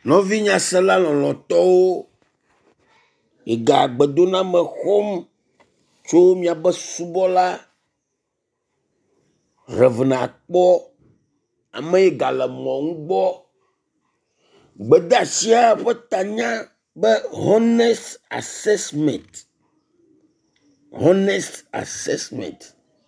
Nɔvi nyasela lɔlɔ̃tɔwo, miga gbedoname xɔm tso miabe subɔla Rev. Akpɔ ame yi gale mɔ ŋu gbɔ. Gbedeasia ƒe tanya be honest assessment. Honest assessment.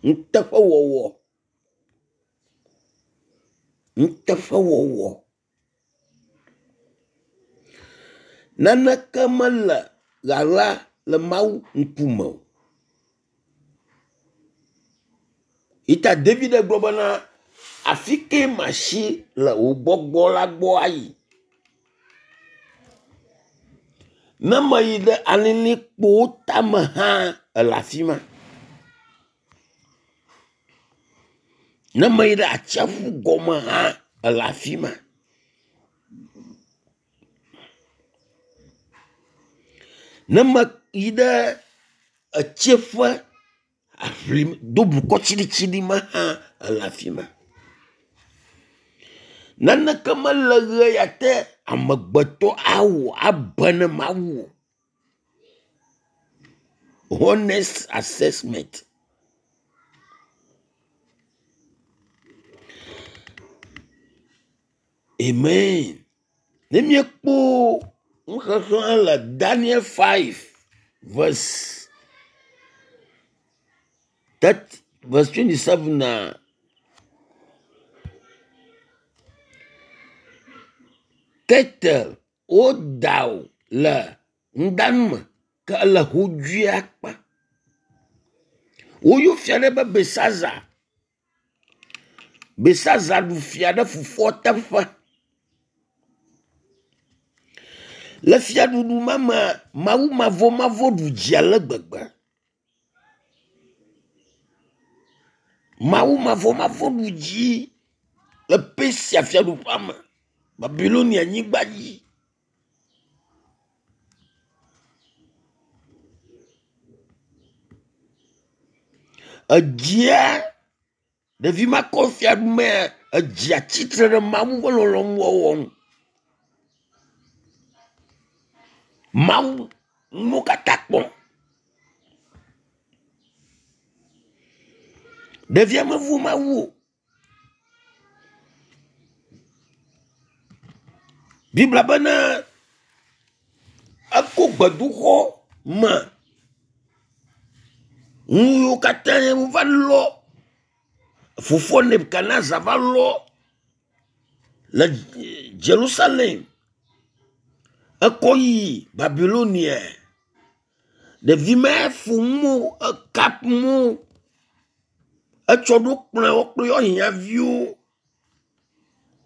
Nuteƒewɔwɔ. Nuteƒewɔwɔ. Naneke mele ɣaɣla le Mawu ŋkume o. Yi ta David gblɔ bena afi ke masi le wò gbɔgbɔ la gbɔ ayi. Ne meyi ɖe alilikpowo tame hã ele afi ma. Ne meyi ɖe atsiaƒu gɔme hã ele afi ma. Ne meyi ɖe etsiẽƒe aŋli do bokɔ tsiɖitsiɖi me hã ele afi ma. Naneke mele ʋe ya te amegbetɔ awɔ abe ne Mawu o. Honest assessment. Amen. Ne míekpɔ nuxexlẽ le Daniel 5 verse verse 27 na tete woda wò le nudanu me ke ele hodzoe akpa. Woyɔ fia ɖe be Belsaza. Belsaza ɖu fia ɖe fofoa teƒe. Le fiaɖuɖu ma mea, Mawu mavɔmavɔ ɖu dzi ale gbegbe. Mawu mavɔmavɔ ɖu dzi le Persia fiaɖuƒea me, Babilonia nyigba dzi. Edzia ɖevi ma kɔ fiaɖumea edzia tsitre ɖe Mawu ƒe lɔlɔ̃nu wɔwɔ ŋu. Mawu nuwo katã kpɔm. Ɖevia mevo Mawu o. Biblia bena ekɔ gbedoxɔ me nu yiwo katã wova lɔ fofoa Nebukadnezar va lɔ le Jerusalem ekɔ yi Babilonia. Ɖevi ma fo nu ekap nu etsɔ ɖo kplɔe wo kple eƒe hiãviwo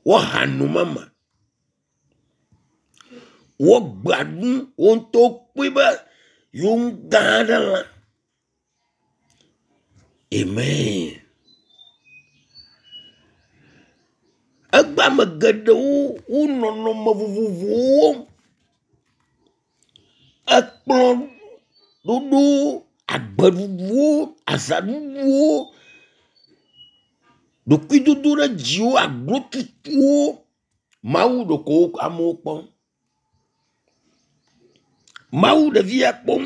woaha no mama. Wogbea nu wo ŋutɔ kpɔe be yewo nu gã aɖe lã. Amen. Egbe ame geɖewo wo nɔnɔme vovovowo wɔm. Ekplɔ ɖoɖowo, agbeɖuɖuwo, azaɖuɖuwo, ɖokuidodoɖedziwo, aglotutuwo. Mawu ɖeko amewo kpɔm. Mawu ɖevi ya kpɔm.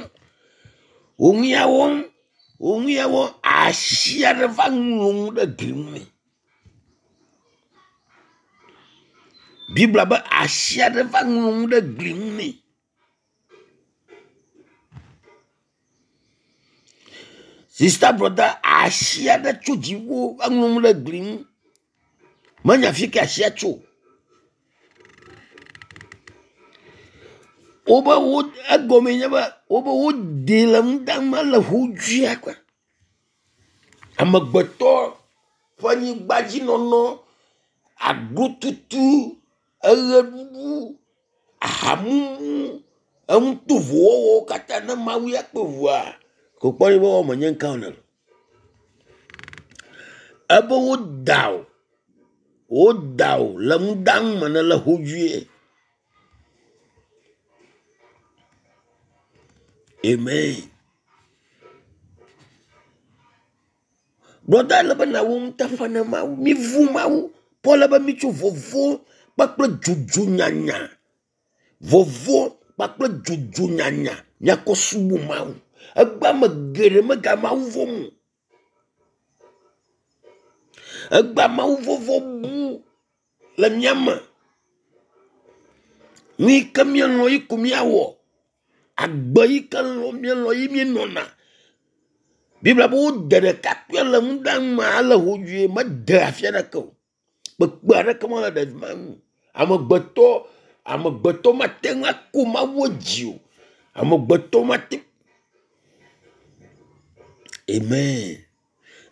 Wo nu ya wɔm, wo nu ya wɔm asi aɖe va ŋlɔ nu ɖe gli ŋu nɛ. Biblia be asi aɖe va ŋlɔ nu ɖe gli ŋu nɛ. Sista brɔda asi aɖe tso dziƒo va ŋlɔ nu ɖe gli ŋu. Menya fi ke asia tso o. Wobe wo egɔme nye be wobe wodee le nudanu ele ƒodzia kpe. Amegbetɔ ƒe anyigbadzinɔnɔ, aglotutu, eɣeɖuɖu, ahamumu, enutovowɔwɔwo katã ne Mawu ya kpe ŋua, ko kpɔ be wɔme nye ŋka wòle. Ebe woda wò, woda wò le nudanu me nèle hodzoe. Amen. Brɔda ele be nàwɔ nuteƒe na Mawu. Mivu Mawu. Paul be mitso vɔvɔ̃ kpakple dzodzo nyanya. Vɔvɔ̃ kpakple dzodzo nyanya míakɔ subɔ Mawu. Egbe ame geɖe mega Mawu vɔ̃m o. Egbea Mawu vɔvɔ̃ bu le mía me. Nu yi ke míelɔ̃ ye ko míawɔ. Agbe yi ke lɔ̃m míelɔ̃ ye míenɔna. Biblia be wode ɖekakpuia le nudanu me ale hodzoe mede afi aɖeke o. Kpekpe aɖeke mele ɖevi ma ŋu o. Amegbetɔ amegbetɔ mate ŋu ako Mawu dzi o. Amegbetɔ mate. Amen.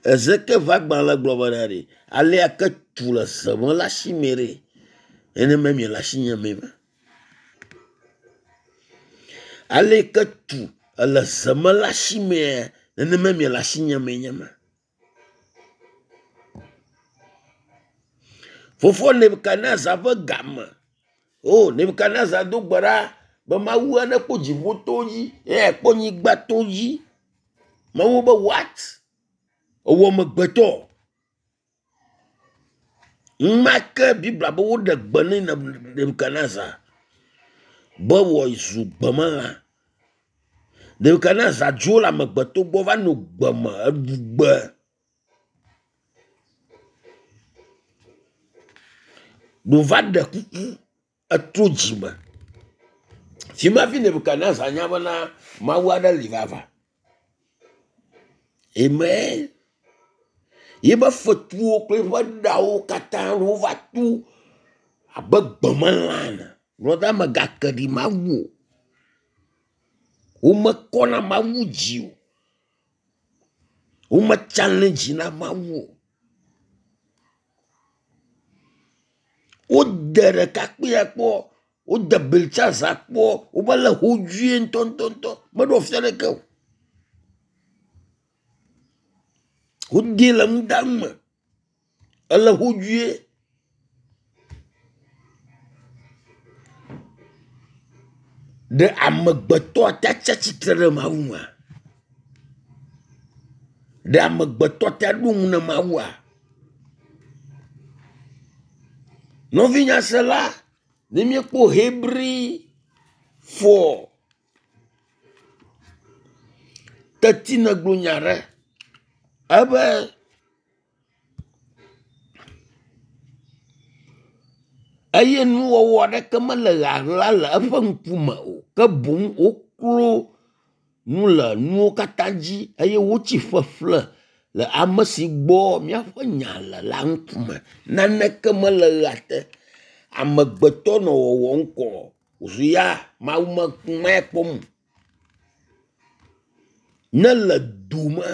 Ezekiel ƒe agbalẽ gblɔ bena ɖe alea ke tu le ze me le asi me ɖe nenema miele asinye mee ma. Ale yi ke tu ele ze me le asi mea nenema miele asinye mee nye ma. Fofoa Nebukadnezar ƒe game. O Nebukadnezar do gbe ɖa be Mawu nekpɔ dziƒotowo dzi eye akpɔ anyigbatowo dzi. Mawu be what? Ewɔ amegbetɔ. Numa ke Biblia be woɖe gbe nɛ Nebukadnezar be wòazu gbemelã. Nebukadnezar dzo le amegbetɔ gbɔ va nɔ gbe me eɖu gbe. Wòva ɖe kuku etrɔ dzime. Fi ma hafi Nebukadnezar nya bena Mawu aɖe li vavã. Amen. Yiƒe fetuwo kple yiƒe ɖawo katã wova tu abe gbemelã ene. Brɔda mègake ɖi Mawu o. Womekɔna Mawu dzi o. Wome challenge na Mawu o. Wode ɖekakpuia kpɔ, wode Beltsazar kpɔ, wova le hodzoe ŋutɔŋutɔŋutɔ. Meɖo afi aɖeke o. Wodee le nudanu me. Ele hodzoe. Ɖe amegbetɔ ate atsi atsitre ɖe Mawu ŋua? Ɖe amegbetɔ ate aɖo ŋu na Mawua? Nɔvi nyasela, ne míekpɔ Hebri fɔ teti negblɔ nya ɖe ebe eye nuwɔwɔ aɖeke mele ɣaɣla le eƒe ŋkume o ke boŋ woklo nu le nuwo katã dzi eye wotsi ƒeƒle le ame si gbɔ míaƒe nya le la ŋkume. Naneke mele ɣea te. Amegbetɔ nɔ wɔwɔm kɔ wòzu ya Mawu me kpɔm o. Ne le dome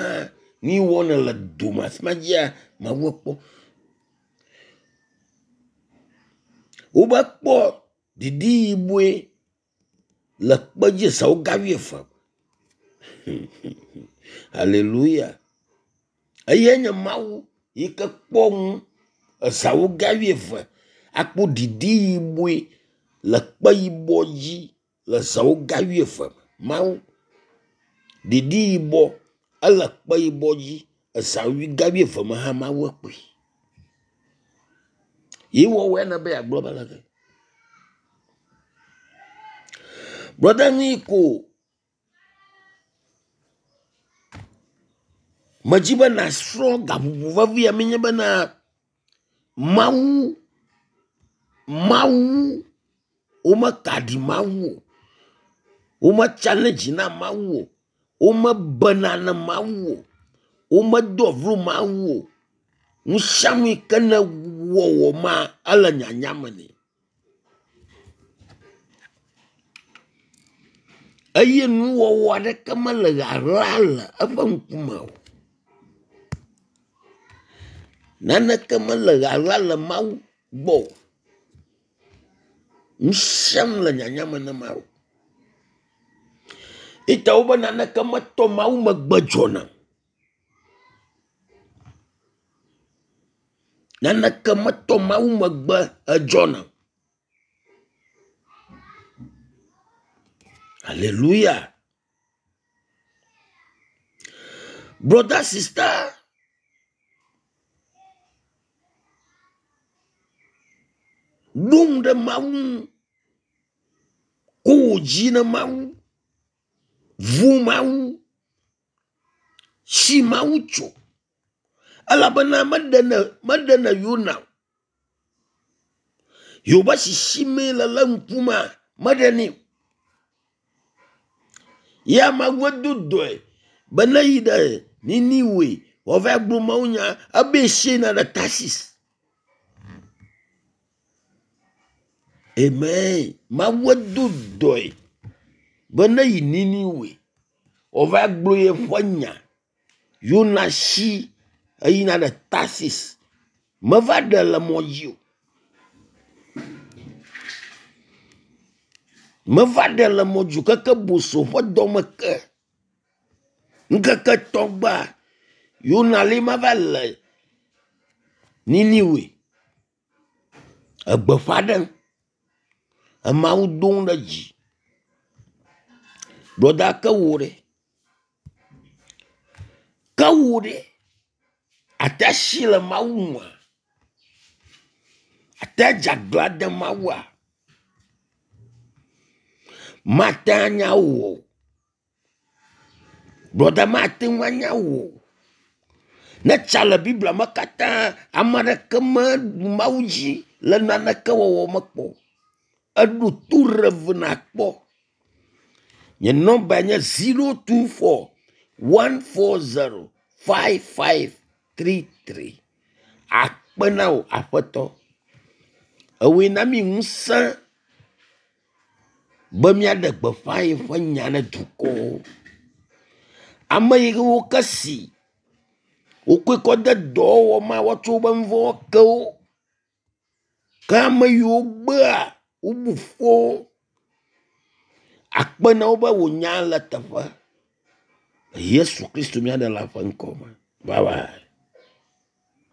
nu yi wɔm nèle dome afi ma dzia Mawu ekpɔ. Wobe kpɔ didi yibɔe le kpe dzi zãwo ga wuieve. Hallelujah. Eyae nye Mawu yi ke kpɔ nu ezãwo ga wuieve akpɔ didi yibɔe le kpe yibɔ dzi le zãwo ga wuieve. Mawu didi yibɔ ele kpe yibɔ dzi ezã ga wuieve me hã Mawu ekpɔe. Ye wɔwɔe ne be yeagblɔ be leke. Brɔda nyui ko medzi be nàsrɔ̃ gaƒoƒo vevi ya menye bena Mawu Mawu womeka ɖi Mawu o. Wome challenge na Mawu o. Womebena na Mawu o. Womedoa vlo Mawu o. Nu sia nu yi ke ne wɔwɔ ma ele nyanya me nɛ. Eye nuwɔwɔ aɖeke mele ɣaɣla le eƒe ŋkume o. Naneke mele ɣaɣla le Mawu gbɔ o. Nu sia nu le nyanya me na Mawu. Ita wobe naneke metɔ Mawu megbe dzɔna o. Naneke metɔ Mawu megbe edzɔna o. Hallelujah. Brother, sister, ɖo ŋu ɖe Mawu ŋu. Ko wò dzi ne Mawu. Vu Mawu. Si Mawu tso. Elabena meɖene meɖene Yona o. Yewobe sisimee le le ŋkumea meɖenɛ o. Ya Mawu do dɔe be ne yi ɖe Niniwe wòava gblɔ mawunya ebe si yina ɖe Tarsis. Amen. Mawu do dɔe be ne yi Niniwe wòava gblɔ yeƒe nya. Yona si eyina ɖe Tarsis. Meva ɖe le mɔ dzi o. Meva ɖe le mɔ dzi o keke boso ƒe dɔme ke. Ŋkeke tɔ̃ gbea Yona li ma va le Niniwe. Egbeƒã ɖem. Emawu dom ɖe dzi. Brɔda ke wò ɖe. Ke wò ɖe. Ate asi le Mawu nua? Ate dze aglã de Mawua? Mate anya wò o. Brɔda mate ŋu anya wò o. Ne tsa le Biblia me katã, ame aɖeke meɖu Mawu dzi le naneke wɔwɔ me kpɔ o. Eɖo to rev nakpɔ. Nye nɔmba nye 024 140 5533. Akpe na wò aƒetɔ. Ewòe na mi ŋusẽ be míaɖe gbeƒã yeƒe nya ne dukɔwo. Ame yiwo ke si wokɔe kɔ de dɔwɔwɔ ma woatsɔ woƒe nu vɔ̃wo ke wo. Ke ame yiwo gbea wobu fɔ wo. Akpe na wo be wò nya le teƒe. Yesu Kristo mía ɖela ƒe ŋkɔ me. Bye bye.